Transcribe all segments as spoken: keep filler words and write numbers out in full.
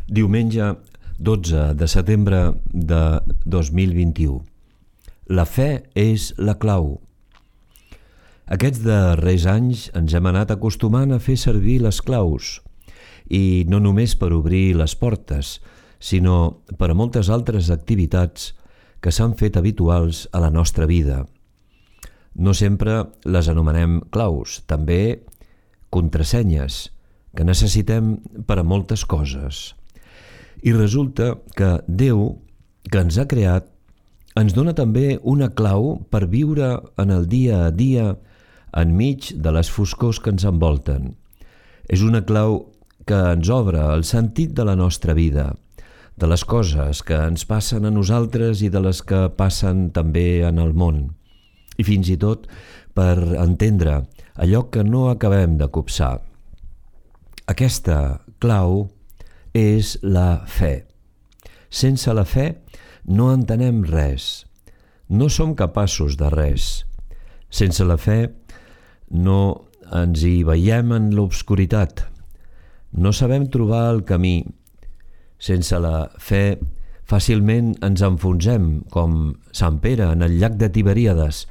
Diumenge dotze de setembre de dos mil vint-i-u. La fe és la clau. Aquests darrers anys ens hem anat acostumant a fer servir les claus, i no només per obrir les portes, sinó per a moltes altres activitats que s'han fet habituals a la nostra vida. No sempre les anomenem claus, també contrasenyes, que necessitem per a moltes coses. I resulta que Déu, que ens ha creat, ens dona també una clau per viure en el dia a dia enmig de les foscors que ens envolten. És una clau que ens obre el sentit de la nostra vida, de les coses que ens passen a nosaltres i de les que passen també en el món, i fins i tot per entendre allò que no acabem de copsar. Aquesta clau és la fe. Sense la fe no entenem res, no som capaços de res. Sense la fe no ens hi veiem en l'obscuritat, no sabem trobar el camí. Sense la fe fàcilment ens enfonsem, com Sant Pere en el llac de Tiberíades,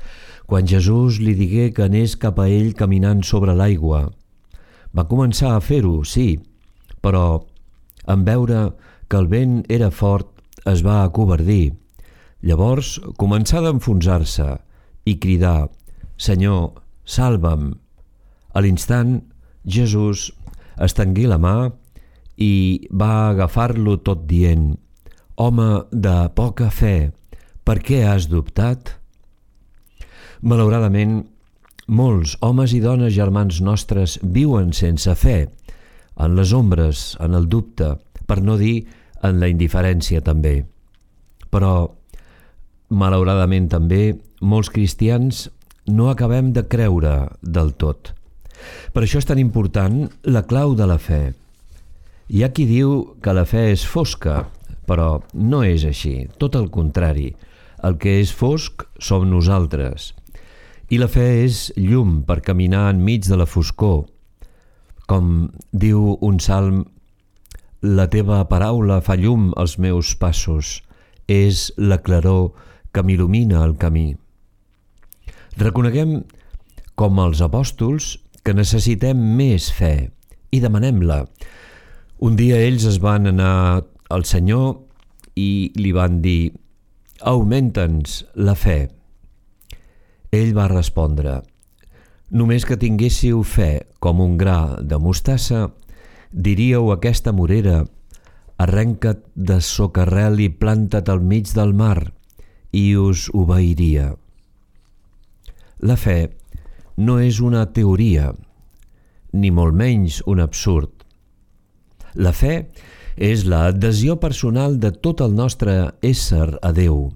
quan Jesús li digué que anés cap a ell caminant sobre l'aigua. Va començar a fer-ho, sí, però en veure que el vent era fort es va acovardir. Llavors començà a enfonsar-se i cridar: «Senyor, salva'm!» A l'instant, Jesús estengué la mà i va agafar-lo tot dient: «Home de poca fe, per què has dubtat?» Malauradament, molts homes i dones germans nostres viuen sense fe, en les ombres, en el dubte, per no dir en la indiferència també. Però, malauradament també, molts cristians no acabem de creure del tot. Per això és tan important la clau de la fe. Hi ha qui diu que la fe és fosca, però no és així, tot el contrari. El que és fosc som nosaltres. I la fe és llum per caminar enmig de la foscor. Com diu un salm: «La teva paraula fa llum als meus passos, és la claror que m'il·lumina el camí». Reconeguem, com els apòstols, que necessitem més fe i demanem-la. Un dia ells es van anar al Senyor i li van dir: «Augmenta'ns la fe». Ell va respondre: «Només que tinguéssiu fe com un gra de mostassa, diríeu a aquesta morera: arrenca't de socarrel i planta't al mig del mar, i us obeiria». La fe no és una teoria, ni molt menys un absurd. La fe és l'adhesió personal de tot el nostre ésser a Déu,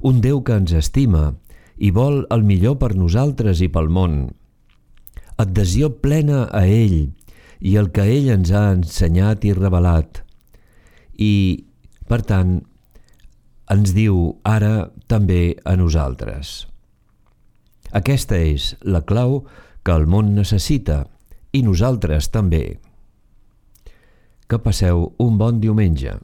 un Déu que ens estima i vol el millor per nosaltres i pel món. Adhesió plena a ell i el que ell ens ha ensenyat i revelat. I, per tant, ens diu ara també a nosaltres. Aquesta és la clau que el món necessita, i nosaltres també. Que passeu un bon diumenge.